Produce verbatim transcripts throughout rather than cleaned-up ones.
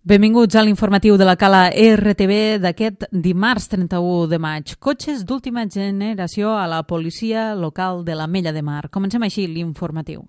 Benvinguts a l'informatiu de la Cala R T V d'aquest dimarts trenta-u de maig. Cotxes d'última generació a la policia local de l'Ametlla de Mar. Comencem així l'informatiu.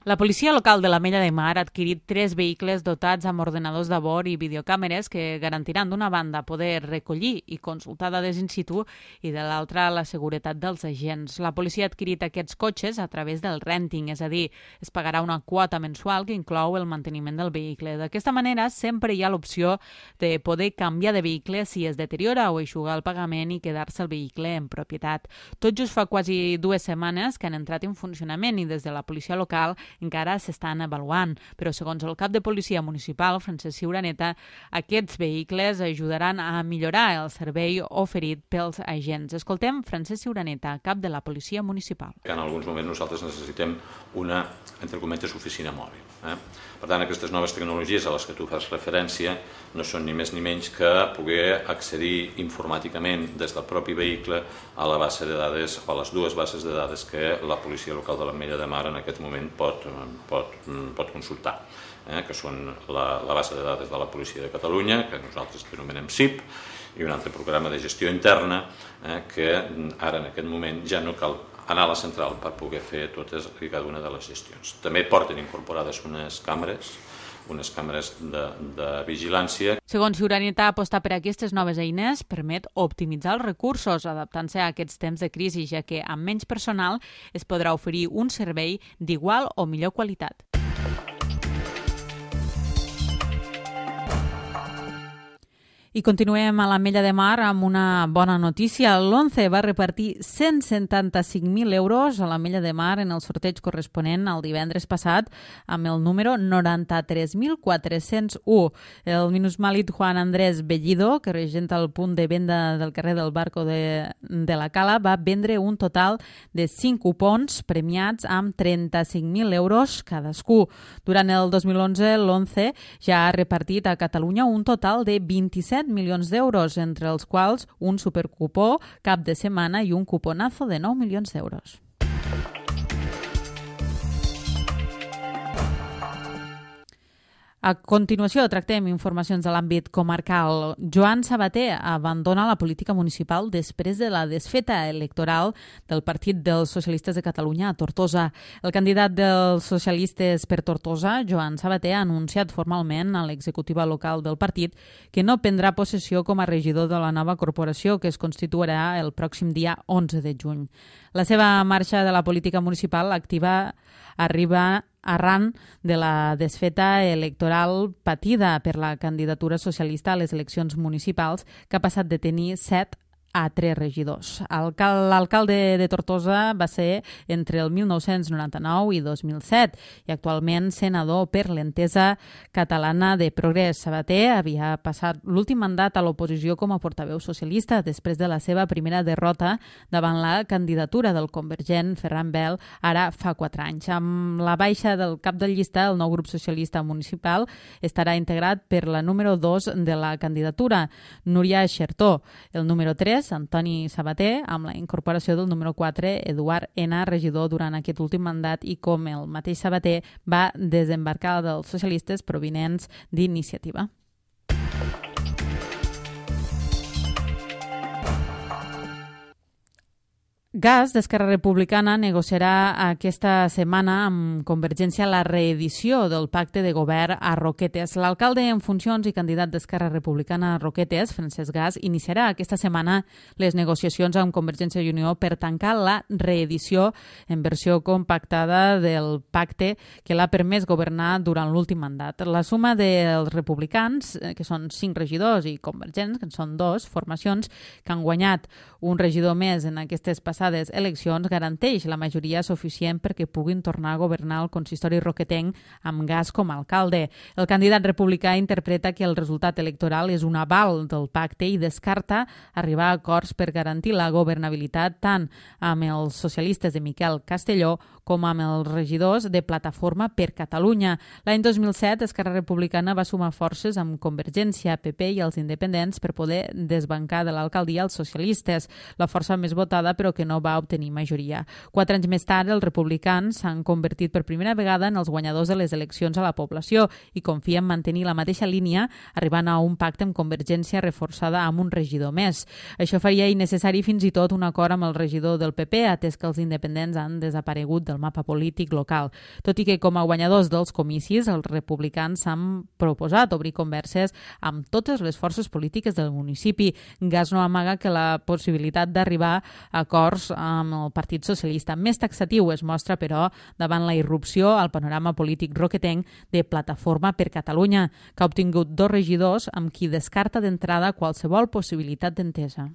La policia local de l'Ametlla de Mar ha adquirit tres vehicles dotats amb ordenadors de bord i videocàmeres que garantiran d'una banda poder recollir i consultar dades in situ i de l'altra la seguretat dels agents. La policia ha adquirit aquests cotxes a través del renting, és a dir, es pagarà una quota mensual que inclou el manteniment del vehicle. D'aquesta manera sempre hi ha l'opció de poder canviar de vehicle si es deteriora o eixugar el pagament i quedar-se el vehicle en propietat. Tot just fa quasi dues setmanes que han entrat en funcionament i des de la policia local encara s'estan avaluant, però segons el cap de policia municipal, Francesc Ciuraneta, aquests vehicles ajudaran a millorar el servei oferit pels agents. Escoltem Francesc Ciuraneta, cap de la policia municipal. En alguns moments nosaltres necessitem una, entre cometes, oficina mòbil. Eh? Per tant, aquestes noves tecnologies a les que tu fas referència no són ni més ni menys que poder accedir informàticament des del propi vehicle a la base de dades o a les dues bases de dades que la policia local de l'Ametlla de Mar en aquest moment pot, pot, pot consultar, eh? que són la, la base de dades de la Policia de Catalunya, que nosaltres anomenem S I P, i un altre programa de gestió interna eh, que ara en aquest moment ja no cal anar a la central per poder fer totes i cada una de les gestions. També porten incorporades unes càmeres, unes càmeres de, de vigilància. Segons Ciuraneta, apostar per aquestes noves eines permet optimitzar els recursos, adaptant-se a aquests temps de crisi, ja que amb menys personal es podrà oferir un servei d'igual o millor qualitat. I continuem a l'Ametlla de Mar amb una bona notícia. L'Once va repartir cent setanta-cinc mil euros a l'Ametlla de Mar en el sorteig corresponent al divendres passat amb el número noranta-tres mil quatre-cents u. El minusvàlid Juan Andrés Bellido, que regenta el punt de venda del carrer del Barco de, de la Cala, va vendre un total de cinc cupons premiats amb trenta-cinc mil euros cadascú. Durant el dos mil onze, l'Once ja ha repartit a Catalunya un total de vint-i-set milions d'euros, entre els quals un supercupó cap de setmana i un cuponazo de nou milions d'euros. A continuació, tractem informacions de l'àmbit comarcal. Joan Sabater abandona la política municipal després de la desfeta electoral del Partit dels Socialistes de Catalunya a Tortosa. El candidat dels socialistes per Tortosa, Joan Sabater, ha anunciat formalment a l'executiva local del partit que no prendrà possessió com a regidor de la nova corporació que es constituirà el pròxim dia onze de juny. La seva marxa de la política municipal activa arriba arran de la desfeta electoral patida per la candidatura socialista a les eleccions municipals, que ha passat de tenir set a tres regidors. L'alcalde de Tortosa va ser entre el mil nou-cents noranta-nou i dos mil set i actualment senador per l'Entesa Catalana de Progrés. Sabater havia passat l'últim mandat a l'oposició com a portaveu socialista després de la seva primera derrota davant la candidatura del convergent Ferran Bel ara fa quatre anys. Amb la baixa del cap de llista, el nou grup socialista municipal estarà integrat per la número dos de la candidatura, Núria Xertó, el número tres, Antoni Sabater, amb la incorporació del número quatre, Eduard Ena, regidor durant aquest últim mandat, i com el mateix Sabater va desembarcar dels socialistes provinents d'Iniciativa. Gas d'Esquerra Republicana negociarà aquesta setmana amb Convergència la reedició del pacte de govern a Roquetes. L'alcalde en funcions i candidat d'Esquerra Republicana a Roquetes, Francesc Gas, iniciarà aquesta setmana les negociacions amb Convergència i Unió per tancar la reedició en versió compactada del pacte que l'ha permès governar durant l'últim mandat. La suma dels republicans, que són cinc regidors, i convergents, que en són dos formacions, que han guanyat un regidor més en aquestes passades eleccions, garanteix la majoria suficient perquè puguin tornar a governar el consistori roquetenc amb Gas com a alcalde. El candidat republicà interpreta que el resultat electoral és un aval del pacte i descarta arribar a acords per garantir la governabilitat tant amb els socialistes de Miquel Castelló com amb els regidors de Plataforma per Catalunya. L'any dos mil set, Esquerra Republicana va sumar forces amb Convergència, P P i els independents per poder desbancar de l'alcaldia els socialistes, la força més votada però que no no va obtenir majoria. Quatre anys més tard, els republicans s'han convertit per primera vegada en els guanyadors de les eleccions a la població i confien mantenir la mateixa línia, arribant a un pacte amb Convergència reforçada amb un regidor més. Això faria innecessari fins i tot un acord amb el regidor del P P, atès que els independents han desaparegut del mapa polític local. Tot i que com a guanyadors dels comicis, els republicans s'han proposat obrir converses amb totes les forces polítiques del municipi. Gas no amaga que la possibilitat d'arribar a acords amb el Partit Socialista. Més taxatiu es mostra, però, davant la irrupció al panorama polític roquetenc de Plataforma per Catalunya, que ha obtingut dos regidors amb qui descarta d'entrada qualsevol possibilitat d'entesa.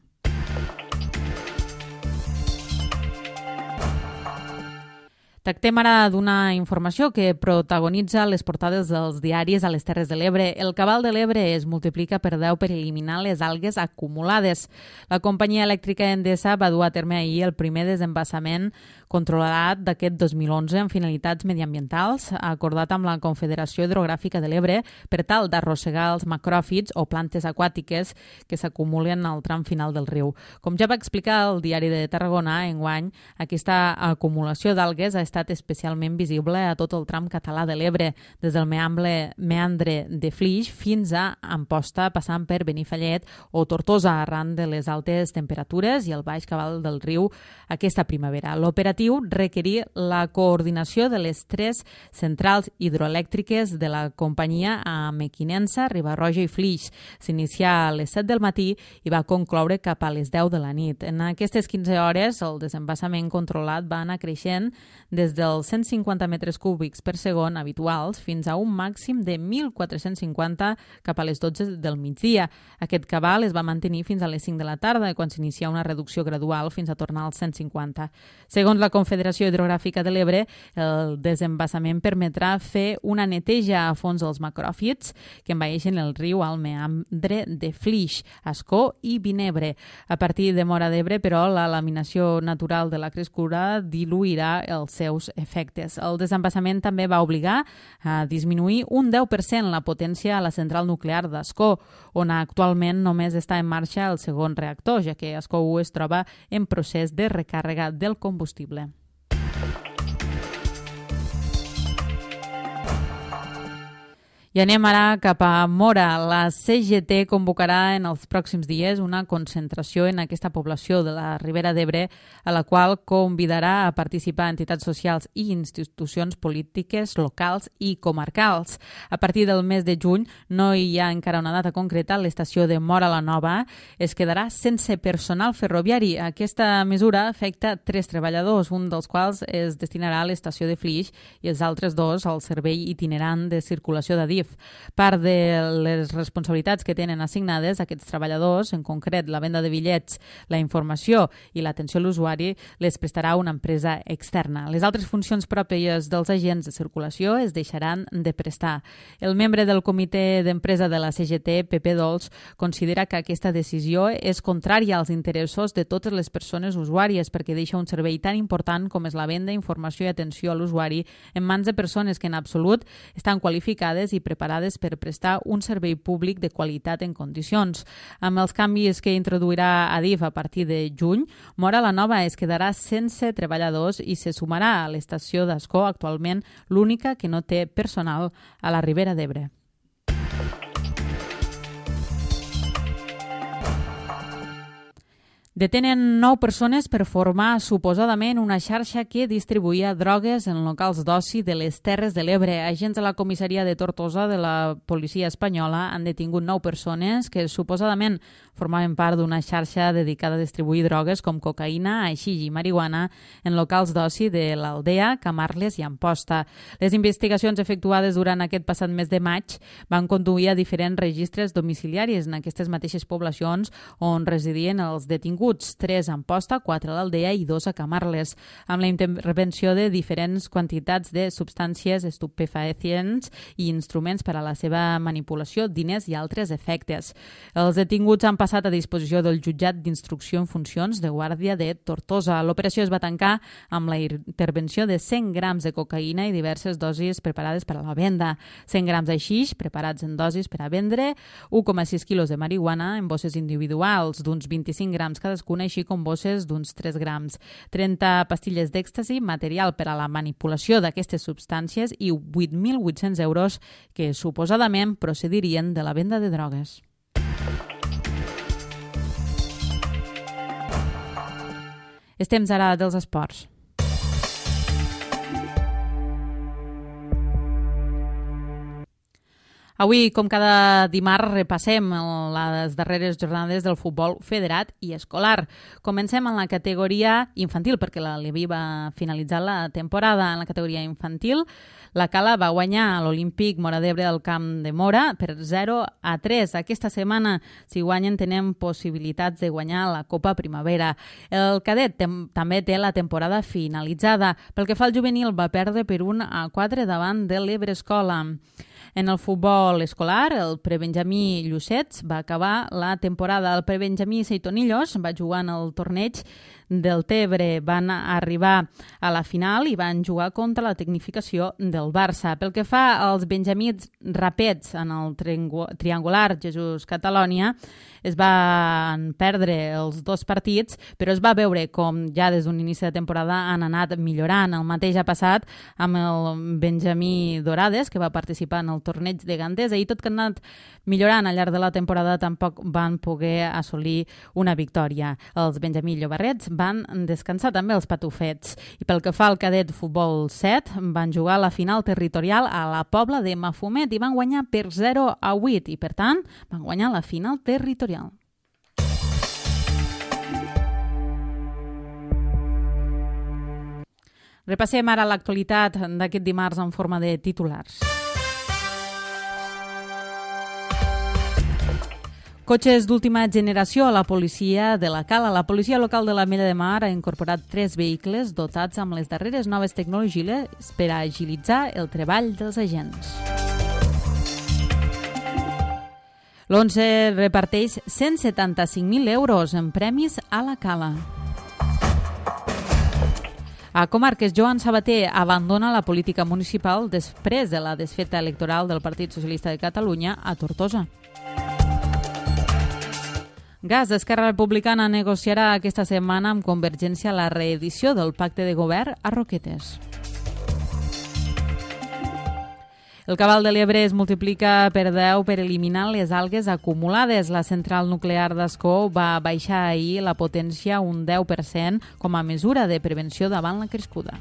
Tractem ara d'una informació que protagonitza les portades dels diaris a les Terres de l'Ebre. El cabal de l'Ebre es multiplica per deu per eliminar les algues acumulades. La companyia elèctrica Endesa va dur a terme ahir el primer desembassament controlat d'aquest dos mil onze amb finalitats mediambientals, acordat amb la Confederació Hidrogràfica de l'Ebre per tal d'arrossegar els macròfits o plantes aquàtiques que s'acumulen al tram final del riu. Com ja va explicar el Diari de Tarragona, enguany, aquesta acumulació d'algues ha estat especialment visible a tot el tram català de l'Ebre, des del meandre, meandre de Flix fins a Amposta, passant per Benifallet o Tortosa, arran de les altes temperatures i el baix cabal del riu aquesta primavera. L'operatiu requerir la coordinació de les tres centrals hidroelèctriques de la companyia a Mequinensa, Riba-roja i Flix. S'inicià a les set del matí i va concloure cap a les deu de la nit. En aquestes quinze hores, el desembassament controlat va anar creixent des dels cent cinquanta metres cúbics per segon habituals fins a un màxim de mil quatre-cents cinquanta cap a les dotze del migdia. Aquest cabal es va mantenir fins a les cinc de la tarda, quan s'inicia una reducció gradual fins a tornar als cent cinquanta. Segons la Confederació Hidrogràfica de l'Ebre, el desembassament permetrà fer una neteja a fons dels macròfits que envaeixen el riu al meandre de Flix, Ascó i Vinebre. A partir de Móra d'Ebre, però, la laminació natural de la crescura diluirà els seus efectes. El desembassament també va obligar a disminuir un deu per cent la potència a la central nuclear d'Ascó, on actualment només està en marxa el segon reactor, ja que Ascó u es troba en procés de recàrrega del combustible. I anem ara cap a Móra. La C G T convocarà en els pròxims dies una concentració en aquesta població de la Ribera d'Ebre, a la qual convidarà a participar entitats socials i institucions polítiques locals i comarcals. A partir del mes de juny, no hi ha encara una data concreta, l'estació de Móra la Nova es quedarà sense personal ferroviari. Aquesta mesura afecta tres treballadors, un dels quals es destinarà a l'estació de Flix i els altres dos al servei itinerant de circulació de D I F. Part de les responsabilitats que tenen assignades aquests treballadors, en concret la venda de bitllets, la informació i l'atenció a l'usuari, les prestarà una empresa externa. Les altres funcions pròpies dels agents de circulació es deixaran de prestar. El membre del comitè d'empresa de la C G T, Pepe Dols, considera que aquesta decisió és contrària als interessos de totes les persones usuàries perquè deixa un servei tan important com és la venda, informació i atenció a l'usuari en mans de persones que en absolut estan qualificades i preparades per prestar un servei públic de qualitat en condicions. Amb els canvis que introduirà Adif a partir de juny, Móra la Nova es quedarà sense treballadors i se sumarà a l'estació d'Ascó, actualment l'única que no té personal a la Ribera d'Ebre. Detenen nou persones per formar suposadament una xarxa que distribuïa drogues en locals d'oci de les Terres de l'Ebre. Agents de la comissaria de Tortosa de la policia espanyola han detingut nou persones que suposadament formaven part d'una xarxa dedicada a distribuir drogues com cocaïna, haixix i marihuana en locals d'oci de l'Aldea, Camarles i Amposta. Les investigacions efectuades durant aquest passat mes de maig van conduir a diferents registres domiciliaris en aquestes mateixes poblacions on residien els detinguts, tres a Amposta, quatre a l'Aldea i dos a Camarles, amb la intervenció de diferents quantitats de substàncies estupefacients i instruments per a la seva manipulació, diners i altres efectes. Els detinguts han passat a disposició del jutjat d'instrucció en funcions de Guàrdia de Tortosa. L'operació es va tancar amb la intervenció de cent grams de cocaïna i diverses dosis preparades per a la venda, cent grams d'haixix preparats en dosis per a vendre, u coma sis quilos de marihuana en bosses individuals d'uns vint-i-cinc grams cadascun cadascuna, així com bosses d'uns tres grams, trenta pastilles d'èxtasi, material per a la manipulació d'aquestes substàncies i vuit mil vuit-cents euros que suposadament procedirien de la venda de drogues. És temps ara dels esports. Avui, com cada dimarts, repassem les darreres jornades del futbol federat i escolar. Comencem en la categoria infantil, perquè la Levi va finalitzar la temporada en la categoria infantil. La Cala va guanyar a l'Olímpic Móra d'Ebre del Camp de Móra per zero a tres. Aquesta setmana, si guanyen, tenen possibilitats de guanyar la Copa Primavera. El cadet també té la temporada finalitzada. Pel que fa al juvenil, va perdre per un a quatre davant de l'Ebre Escola. En el futbol escolar, el prebenjamí Llucets va acabar la temporada. El prebenjamí Seitonillos va jugar en el torneig del Tebre. Van arribar a la final i van jugar contra la tecnificació del Barça. Pel que fa als benjamins rapets en el triangular Jesús Catalònia, es van perdre els dos partits, però es va veure com ja des d'un inici de temporada han anat millorant. El mateix ha passat amb el benjamí Dorades, que va participar en el torneig de Gandesa, i tot que han anat millorant al llarg de la temporada tampoc van poder assolir una victòria. Els benjamí Llobarrets van descansar també els patufets. I pel que fa al cadet futbol set, van jugar la final territorial a la Pobla de Mafumet i van guanyar per zero a vuit i, per tant, van guanyar la final territorial. Repassem ara l'actualitat d'aquest dimarts en forma de titulars. Cotxes d'última generació a la policia de la Cala. La policia local de l'Ametlla de Mar ha incorporat tres vehicles dotats amb les darreres noves tecnologies per a agilitzar el treball dels agents. L'Once reparteix cent setanta-cinc mil euros en premis a la Cala. A Comarques, Joan Sabater abandona la política municipal després de la desfeta electoral del Partit Socialista de Catalunya a Tortosa. Gas, Esquerra Republicana negociarà aquesta setmana amb Convergència la reedició del pacte de govern a Roquetes. El cabal de l'Ebre es multiplica per deu per eliminar les algues acumulades. La central nuclear d'Ascó va baixar ahir la potència un deu per cent com a mesura de prevenció davant la crescuda.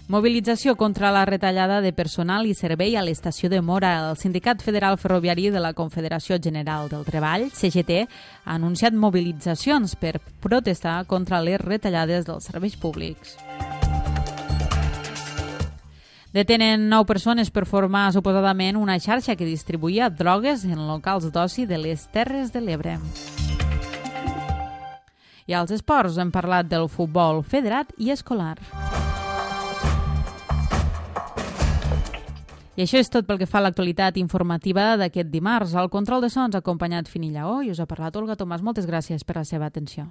Mobilització contra la retallada de personal i servei a l'estació de Móra. El Sindicat Federal Ferroviari de la Confederació General del Treball, C G T, ha anunciat mobilitzacions per protestar contra les retallades dels serveis públics. Detenen nou persones per formar suposadament una xarxa que distribuïa drogues en locals d'oci de les Terres de l'Ebre. I als esports hem parlat del futbol federat i escolar. I això és tot pel que fa a l'actualitat informativa d'aquest dimarts. Al control de sons ha acompanyat Fini Lleó i us ha parlat Olga Tomàs. Moltes gràcies per la seva atenció.